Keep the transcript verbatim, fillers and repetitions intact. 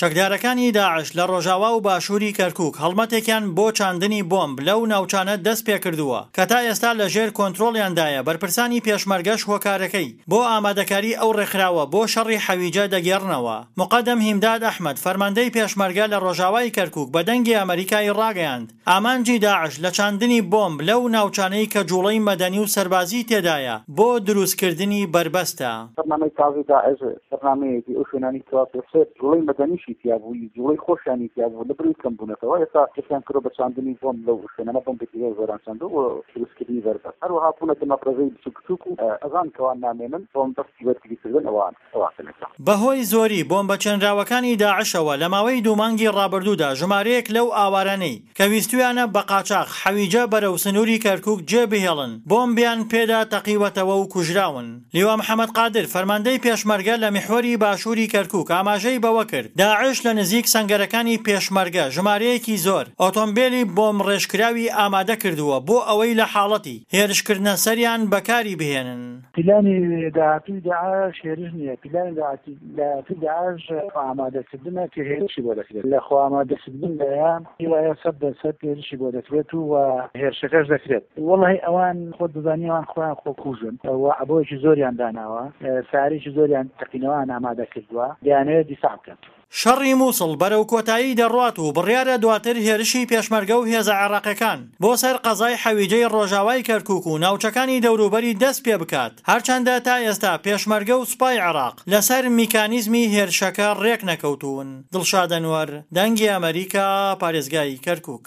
چەکدارەکانی داعش لە ڕۆژاوا و باشووری کەرکوک هەڵمەتێکیان بۆ چاندنی بۆمب لەو ناوچانە دەست پێکردووە کە تا ئێستا لە ژێر کۆنترۆڵیاندایە، بەرپرسانی پێشمەرگەش هۆکارەکەی بۆ ئامادەکاری ئەو ڕێکخراوە بۆ شەڕی حەویجە دەگێڕنەوە. موقەدەم هیمداد ئەحمەد، فەرماندەی پێشمەرگە لە ڕۆژاوای کەرکوک بە دەنگی ئەمەریکای ڕاگەیاند، ئامانجی داعش لە چاندنی بۆمب لەو ناوچانەی کە جوڵەی مەدەنی و سەربازی تێدایە بۆ دروستکردنی بەربەستە. بەرنامەی تازەی داعش بەرنامەیەکی ئەو شوێنانەی کەوا پێشتر جوڵەی مەدەنیشی تیا بوو، جوڵەی خۆشیانی تیا بوو، لەبەرئەوەی کەم بوونەتەوە ئێستا دەستیان کردووە بە چاندنی بۆمب لەو شوێنانە، بۆمبێکی زۆر زۆریان چاندووە بۆ دروستکردنی بەربەست. هەروەها بوونەتە مەفرەزەی بچووک بچووک و ئەزان کەوا نامێنن بۆ مەبەستی بەرگریکردن ئەوان ئەوان ئێستا. بەهۆی زۆری بۆمبە چێنراوەکانی داعشەوە لە ماوەی دوو مانگی ڕابردوودا ژمارەیەک لەو ئاوارانەی کە ویستویانە بە قاچاخ حەویجە بەرەو سنووری کەرکوک جێ بهێڵن بۆمبیان پێدا تەقیوەتەوە و کوژراون. لیوا محەمەد قادر، فەرماندەی پێشمەرگە لە میحوەری باشووری کەرکوک ئاماژەی بەوە کرد، داعش لە نزیک سەنگەرەکانی پێشمەرگە ژمارەیەکی زۆر ئۆتۆمبێلی بۆمبڕێژکراوی ئامادە کردووە بۆ ئەوەی لە حاڵەتی هێرشکردنە سەریان بەکاری بهێنن. پلانی داهاتووی داعش هێرش نییە، پلانی داهاتووی داعش خۆئامادەکردنە کە هێرشی بۆ دەکرێت. لە خۆئامادەکردندایە هیوایە سەد دەر سەد هێرشی بۆ دەکرێت و هێرشەکەش دەکرێت. وەڵاهی ئەوان خۆت دەزانی ئەوان خۆیان خۆکوژن و عەبۆیەکی زۆریان داناوە، سەیارەیەکی زۆریان تەقینەوەیان ئامادە کردووە، دەیانەوێت دیفاع بکەن. شەڕی موسڵ بەرەو کۆتایی دەڕوات و بڕیارە دواتر هێرشی پێشمەرگە و هێزە عێراقیەکان بۆ سەر قەزای حەویجەی ڕۆژاوای کەرکوک و ناوچەکانی دەوروبەری دەست پێبکات، هەرچەندە تا ئێستا پێشمەرگە و سوپای عێراق لەسەر میکانیزمی هێرشەکە ڕێکنەکەوتوون. دڵشاد ئەنوەر، دەنگی ئەمەریکا، پارێزگای کەرکوک.